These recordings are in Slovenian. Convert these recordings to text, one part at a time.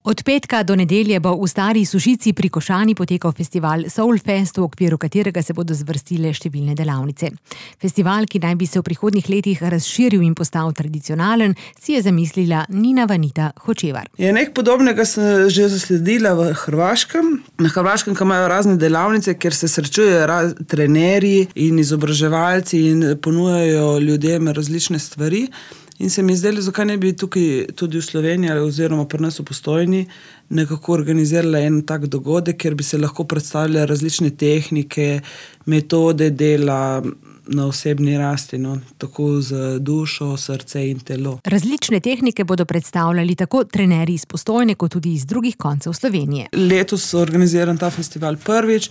Od petka do nedelje bo v Stari Sušici pri Košani potekal festival Soulfest, v okviru katerega se bodo zvrstile številne delavnice. Festival, ki naj bi se v prihodnjih letih razširil in postal tradicionalen, si je zamislila Nina Vanita Hočevar. Nekaj podobnega sem že zasledila v Hrvaškem. Na Hrvaškem, ko imajo razne delavnice, kjer se srečujejo trenerji in izobraževalci in ponujajo ljudem različne stvari. In se mi zdelo, zakaj ne bi tukaj tudi v Sloveniji oziroma pri nas v Postojni nekako organizirala en tak dogodek, kjer bi se lahko predstavljale različne tehnike, metode dela na osebni rasti, tako z dušo, srce in telo. Različne tehnike bodo predstavljali tako trenerji iz Postojne, kot tudi iz drugih koncev Slovenije. Letos organiziran ta festival prvič,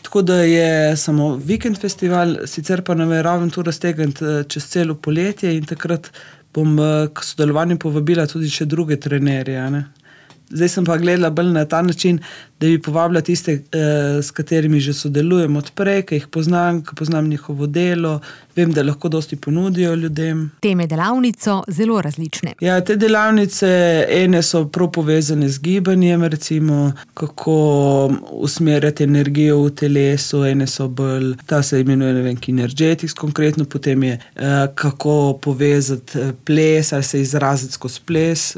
tako da je samo vikend festival, sicer pa nameravam tu raztegniti čez celo poletje in takrat bom k sodelovanju povabila tudi še druge trenerje. Zdaj sem pa gledala bolj na ta način, da bi povabila tiste, s katerimi že sodelujem odprej, ki jih poznam njihovo delo, vem, da lahko dosti ponudijo ljudem. Teme delavnic so zelo različne. Ja, te delavnice, ene so prav povezane z gibanjem, recimo, kako usmerjati energijo v telesu, ene so bolj, ta se imenuje, Kinergetics konkretno, potem je, kako povezati ples ali se izraziti skozi ples,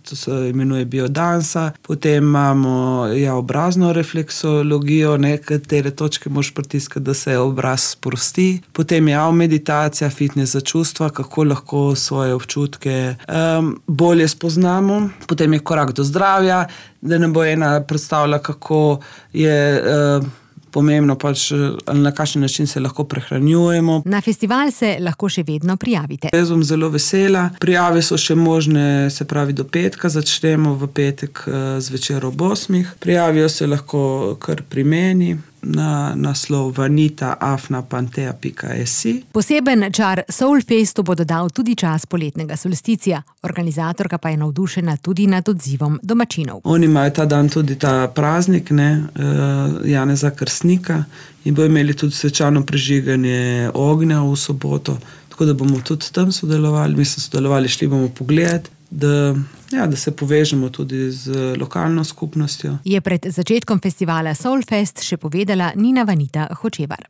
to se imenuje biodansa, potem imamo obrazno refleksologijo, nekatere točke moraš pritiskati, da se obraz sprosti. Potem je meditacija, fitness za čustva, kako lahko svoje občutke bolje spoznamo. Potem je korak do zdravja, da ne bo ena predstavila, kako je pomembno ali na kakšen način se lahko prehranjujemo. Na festival se lahko še vedno prijavite. Jaz bom zelo vesela. Prijave so še možne, se pravi do petka, začnemo v petek zvečer ob 8. Prijavijo se lahko kar pri meni na naslov vanita@pantea.si. Poseben čar Soulfestu bo dodal tudi čas poletnega solsticija. Organizatorka pa je navdušena tudi nad odzivom domačinov. Oni imajo ta dan tudi ta praznik, Janeza Krstnika, in bojo imeli tudi svečano prižiganje ognja v soboto, tako da bomo tudi tam sodelovali. Mi smo sodelovali, šli bomo pogledati, da se povežemo tudi z lokalno skupnostjo. Je pred začetkom festivala Soulfest še povedala Nina Vanita Hočevar.